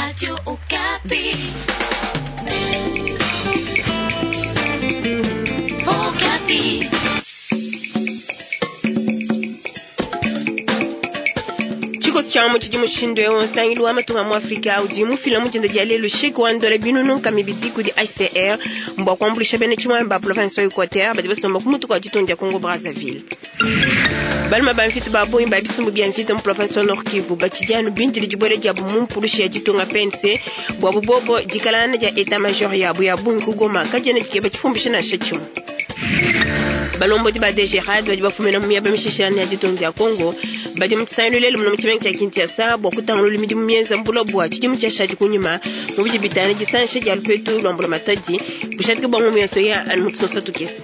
Radio Okapi. Okapi. Tshikoso tshia mu tshidi mushindu eu nsangilu wa matunga mu Afrika udi mufila mu dinda dia lelu chèque wa ndola binunu nkama ibidi kudi HCR mbua kuambuluisha bena tshimuangi ba province wa Equateur badi basomba ku mutu kua ditunga dia Congo Brazzaville. Baluma ba mvita ba bungi ba bisumbu bia mvita mu province wa Nord Kivu batshidi anu bindile dibuela diabu mu mpulushi ya ditunga PNC buabu bobo dikalana dia etat major yabu ya bungi ku Goma kadiena dikeba tshifumbisha nansha tshimue. Balombodi ba DGRAD badi bafumina mu miaba mishilashilangane ya ditunga dia Congo badi mu tshisangilu lelu muno mu tshimenga tshia Kinshasa bua kutangulula midimu mienza mbula bua tshidimu tshiashadi kunyima mu bidi bitangila disangisha dia lupetu lua mbulamatadi bushadike bua ngumu yonso ya anu mu tusonsa tukese.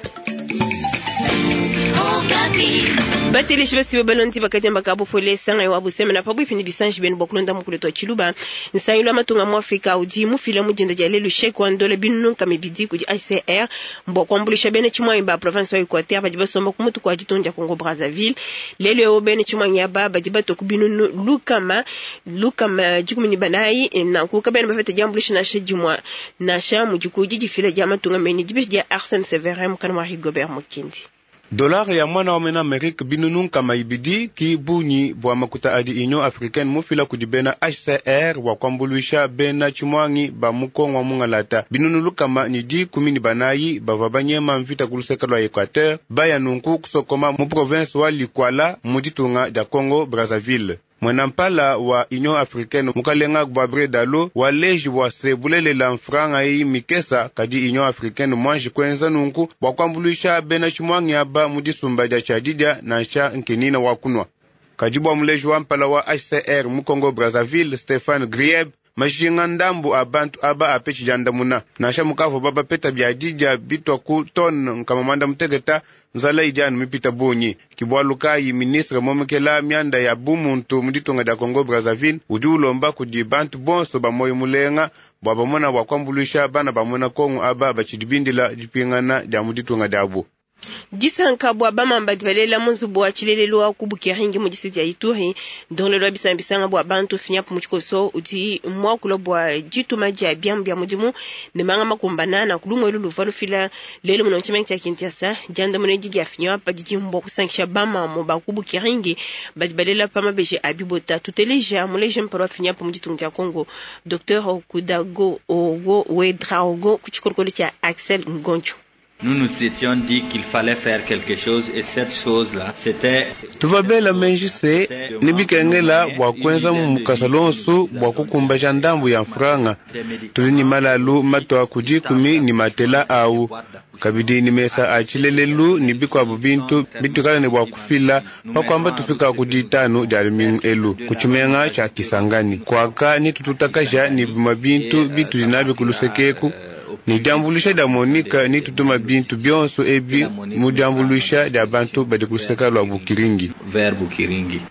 Bateleji basibe balondi bakadiamba ka bupole sanga wa busemena pabuipi ne bisanji bienu bua kulonda mukulu twa tshiluba. Nsangilu wa matunga mu Afrika udi mufila mu dinda dia lelu chèque wa ndola binunu nkama ibidi kudi HCR mbua kuambuluisha bena tshimuangi ba province wa Equateur badi basomba ku mutu kua ditunga dia Congo Brazzaville. Lelu eu bena tshimuangi aba badi batua ku binunu lukama 14, nanku kabena bapeta diambuluisha nansha dimue nansha mudi ku didifila dia matunga menyi dibeji dia Arsène Severin mukana wa Rigobert Mukindi. Dollar ya mwana wa mena Amerique binunu nkama ibidi ki bunyi bua makuta adi Union Africaine mufila kudi bena HCR wa kuambuluisha bena tshimuangi ba mu Kongo wa mungalata binunu 114 bavua banyema mvita ku luseke lua Equateur baya nunku kusokoma mu province wa Likouala mu ditunga dia Congo Brazzaville. Mwenampala wa Union Africaine mukalenga Gabriel Dalo waleji bua se bulelela mfranga eyi mikesa kadi Union Africaine mwanji kuenza nunku bua kuambuluisha bena tshimuangi aba mu disumba dia tshiadidia nansha nkenina wa kunwa. Kadi bua muleji wa mpala wa HCR mu Congo Brazzaville Stéphane Grieb majinga ndambu a bantu aba apetshi diandamuna nansha mukavua babapeta biadidia bitwa ku tonne 160 nzala idi anu mipita bungi. Kibualu kayi ministre momekela mianda ya bumuntu mu ditunga dia Congo Brazzaville udi ulomba kudi bantu bonso ba moyo mulenga bua bamona bua kuambuluisha bana ba muena Kongo aba batshidi bindila dipingana dia mu ditunga diabu. Disanka bua bamamba badi balela mu nzubu wa tshilelelu wa ku Bukeringi mu distrikiti ya Ituri, ndongoluelu wa bisamba bua bantu FNUAP mu tshikoso udi muakula bua dituma dia biamu bia mudimu ne manga makumbana na kulumue elu luvua lufila lelu muno mu tshimenga tshia Kinshasa. Diandamuna edi dia FNUAP didi mbua kusankisha bamamu ba ku Bukeringi badi balela pa mabeji a bibota. Tuteleja muleji mpala wa FNUAP mu ditunga dia Congo Dr Kudago Ogo Ouedraogo ku tshikolokolo tshia Axel Ngoncho. Nous nous étions dit qu'il fallait faire quelque chose et cette chose-là, c'était tuvabela menji se ni bikengela bua kuenza mukasa lonsu bua kukumbaja ndambu ya mfranga tuli ni malalu matwa ku 10 ni matela awu kabidi ni mesa a tshilelelu ni bikuabu bintu bitukala ne bua kufila pakuamba tufika ku 5 dia lumingu elu ku tshimenga tshia Kisangani kuaka ni tututakaja ni bimue bintu bitudi nabi ku lusekeku ni diambuluisha dia Monica ni tutuma bintu bionso ebi mu diambuluisha dia bantu badi ku luseke lua Bukiringi. Vers Bukiringi.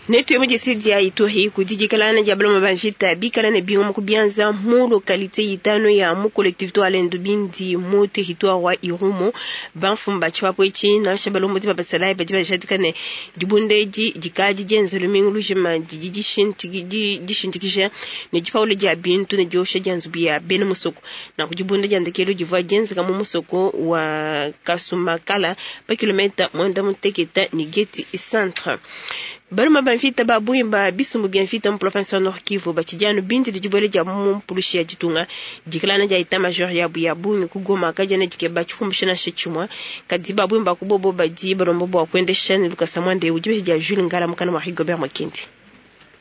Netu mu distrikiti ya Ituri kudi dikalana dia baloma ba mvita bikala ne bingoma ku bianza mu localité itano ya mu collectivité wa Lendu Bindi mu territoire wa Irumu. Bamfumu ba tshipapu etshi nansha balombodi ba basalayi badi bajadika ne dibunda edi dikadi dienza lumingu lujima didi dishindikija ne dipaula dia bintu ne diosha dia nzubu ya bena musoko. Nanku dibunda dia ndekelu divua dienzeka mu musoko wa Kasumakala pa kilomètre 96 ne Geti centre. Baluma ba mvita ba bungi ba bisumbu bia mvita mu province wa Nord Kivu batshidi anu bindile dibuela dia mu mpulushi ya ditunga dikalana dia etat major yabu ya bungi ku Goma kadiena dikeba tshifumbisha nansha tshimue. Kadi ba bungi ba ku bobo badi balomba bua kuendesha ne lukasa muanda eu dibeji dia Jules Ngala mukana wa Rigobert Makindi.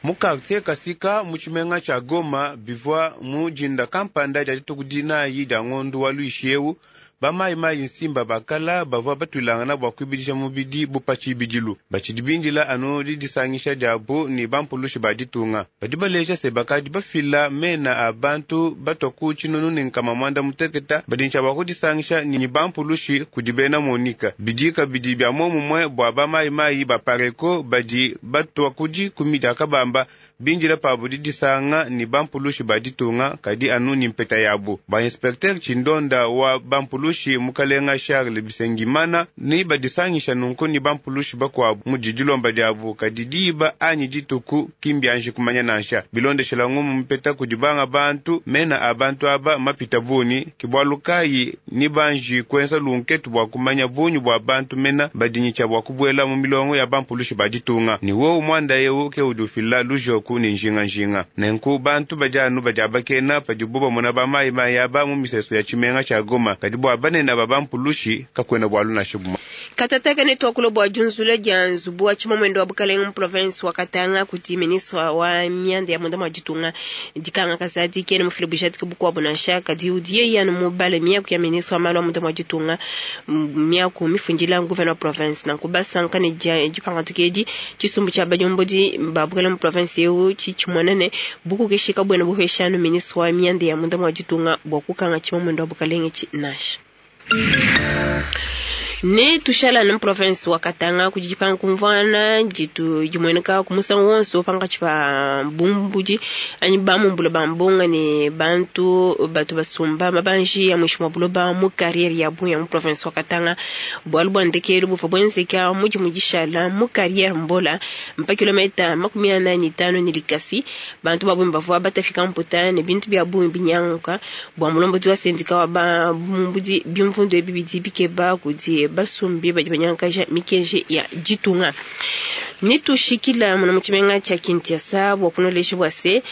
Mu quartier Kasika mu tshimenga tshia Goma bivua mu dinda kampanda dia dituku 4 dia ngondu wa luishi eu bamayimayi nsimba bakala bavua batuilangana bua kuibidisha mubidi bu pa tshibidilu batshidi bindila anu didisangisha diabu ni bampulushi ba ditunga badi baleja se bakadi bafila mena a bantu batwa ku 160 badi ntshia bua kudisangisha ni bampulushi kudi bena Monica bidika bidi bia momumue bua bamayimayi ba Pareko badi batwa ku 10 dia kabamba Bindila pabu didisanga ni bampulushi ba ditunga kadi anu ni mpeta yabu. Ba inspecteur tshindonda wa bampulushi mukalenga Charles Bisengimana ni badisangisha nunku ni bampulushi bakuabu mu didilomba diabu kadi diba anyi dituku kimbianji kumanya nansha. Bilondeshela ngumu mpeta kudi banga bantu mena a bantu aba mapita buni kibwalu kayi ni banji kwenza lunketu bua kumanya bunyi bua bantu mena badinyicha bua kubuela mu milongo ya bampulushi ba ditunga. Ni wowu mwanda yewu ke udi ufila lujoku ni njinga-njinga. Nenku bantu badi anu badi abakena padibu bamona ba mayi mayi aba mu miseso ya tshimenga tshia Goma kadi bua banene ba bampulushi kakwena bwalu nansha bumwe. Katataka ne twakula bua junzula dia nzubu wa tshimamwendo wa bukalenga mu province wa Katanga kudi ministre wa mianda ya munda mwa ditunga dikanga kazadi kene mufile bujadiki bukuabu nansha kadi udi yeye anu mubale miaku ya ministre wa malu a munda mwa ditunga miaku mifundila gouverneur wa province nanku basanka ne dipangadika edi tshisumbu tshia badiombodi ba bukalenga mu province eu tshitshimonene bukukeshika bwena buheshanu ministre wa mianda ya munda mwa ditunga bua kukanga tshimamwendo wa bukalenga tshi nansha. Ne tushala na province wa Katanga kujipanga kumvana jitu jimweneka kumusangu wonso panga chipa bumbudi anyi bamumbula bambonga ne bantu batu basumba mabanji ya mwisho mwa buloba mu carrière ya bunya mu province wa Katanga bwalu bwa ndekelu bufa bwenzeka muji mujishala mu carrière mbola mpa kilomita 45 ni likasi bantu babumba bavua batafika mputa ne bintu bya bungi binyanguka bwa mulombo wa sendika wa ba bumbudi bimvundu ebibidi bikeba kudi basumbi badi banyankaja mikenji ya ditunga. Nitushikila muna muchimenga cha Kinshasa bwa kunolesha bwa se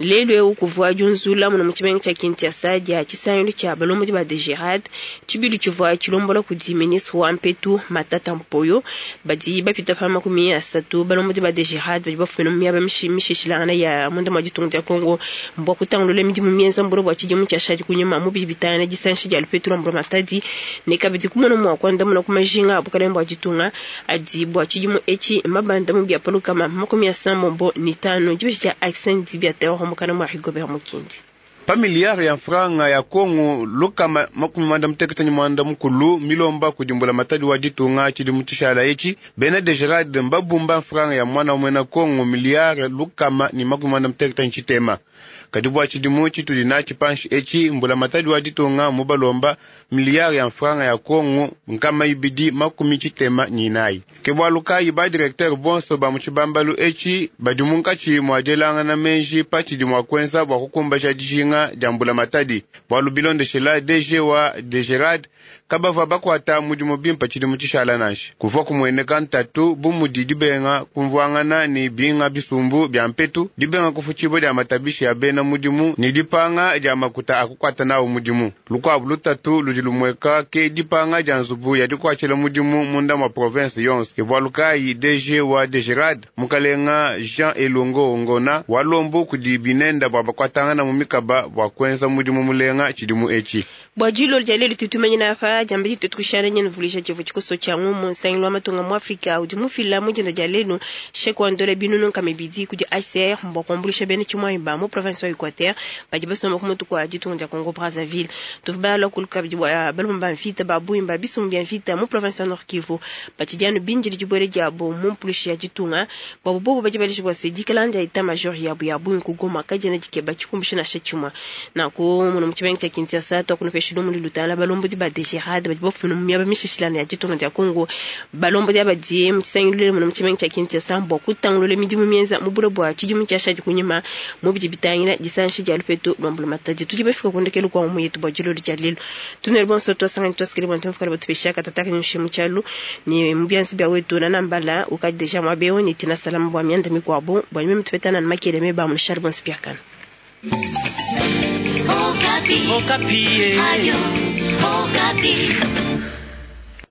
lelo eu kuvua junzula muna muchimenga cha Kinshasa dia chisangilu cha balombodi ba DGRAD chibilu chivua chilombola kudi ministre wa mpetu Matata Mpoyo badi bapita pa 30 balombodi ba DGRAD badi bafumina mu miaba mishishilangana ya munda mwa ditunga dia Congo mbwa kutangulula midimu mienza mbolo bwa tshidimu tshia shadi kunyuma mu bibitana disanshi dia lupetu lwa mbolo matadi ne kabidi kumona mwa kwanda muna kumajinga abukalenga bwa ditunga adi bwa tshidimu echi mabanda mu bya palukama 75 dibishi dia accent bya terror mukana mwa Rigobert Mukindi. Pa miliyari ya franga ya Kongo lukama 64 mukulu milomba kudimbula matadi wa ditunga tshidimu tshishala etshi bena DGRAD mbabumba franga ya mwana mwena Kongo miliyari lukama ni 68. Kadi bua tshidimu tshitudi natshi panshi etshi mbula matadi wa ditunga mubalomba miliyari ya franga ya Kongo 294. Ke bwalu kayi ba directeur bonso ba mu tshibambalu etshi badi munkatshi mua dielangana menji pa tshidimu wa kwenza bua kukumbasha dijinga dia mbula matadi. Bwalu bilondeshela DG wa DGRAD kabavua bakwata mudimu bimpa tshidimu tshishala nansha. Kuvua kumueneka ntatu bu mudi dibenga kumvuangana ni binga bisumbu bya mpetu, dibenga kufutshibo dia matabishi ya bena mudimu ni dipanga dia makuta akukwata nawo mudimu. Lukwabu lutatu ludi lumweka ke dipanga dia nzubu ya dikwatshila mudimu munda mwa province yonso. Ke bwalu kayi DG wa DGRAD mukalenga Jean Elongo Ngona walombo kudi binenda bua bakwatangana mu mikaba bua kwenza mudimu mulenga tshidimu etshi. Bua dilo dia lelu tutumanyina apa diamba ditutu kushana nyene vulisha tshivu tshikoso tshia ngumu nsangilu wa matunga mu Afrika udi mufila mu dinda dia lelu chèque wa ndola binunu nkama ibidi kudi HCR mbua kuambuluisha bena tshimuanyi ba mu province wa Equateur badi basomba ku mutu kua ditunga dia Congo Brazzaville. Tuvubala kuluka bidi bua balomba ba mvita ba bungi ba bisumbu bia mvita mu province wa Nord Kivu batshidi bindili dibuele diabo mu mpulushi ya ditunga bua bobo badi baleja bua se dikala dia état major yabo ya bungi ku Goma kadiena dikeba tshikumbusha nansha tshimue. Nanku muno mu tshimenga tshia Kinshasa twakunupesha lumu lulutala balombodi ba DGRAD badi bafumina mu miaba mishishilana ya ditunga dia Congo balombodi abadi mu tshisangilu muno mu tshimenga tshia Kinshasa bua kutangulula midimu mienza mu bulo bua tshidimu tshiashadi kunyima mu bidi bitangila disanshi dia lupetu lwa mbula matadi. Tudi bafika kundekelu kwa mu yetu bua dilolo dia lelu tunele bonso twasangani twasikile bua ntumfukala batupesha katataka nyushe mu tshialu ni mu biansi bia wetu na nambala ukadi deja mwabeo ni tina salama bua mianda mikuabo bua nyuma mutupetana na makele me ba mu charbon spiakana. Okapi. Okapi. Radio Okapi.